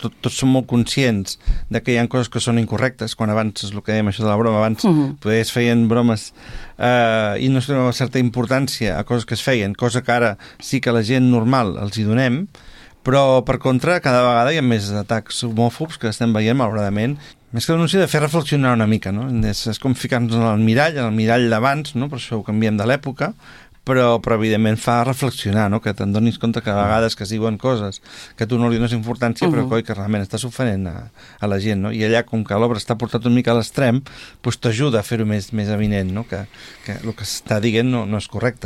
tots som molt conscients de que hi ha coses que són incorrectes, quan abans, és el que dèiem això de la broma, abans potser es feien bromes i no es donava certa importància a coses que es feien, cosa que ara sí que la gent normal els hi donem, però per contra cada vegada hi ha més atacs homòfobs que estem veient malauradament. Més que denúncia, de fer reflexionar una mica, no? És com ficar-nos en el mirall d'abans, no? Per això ho canviem de l'època, però evidentment fa reflexionar, no? Que te'n donis compte que a vegades que es diuen coses que tu no li dones importància, però que realment estàs ofenent a la gent, no? I allà, com que l'obra està portat una mica a l'extrem, doncs t'ajuda a fer-ho més avinent, no? Que el que s'està dient no és correcte.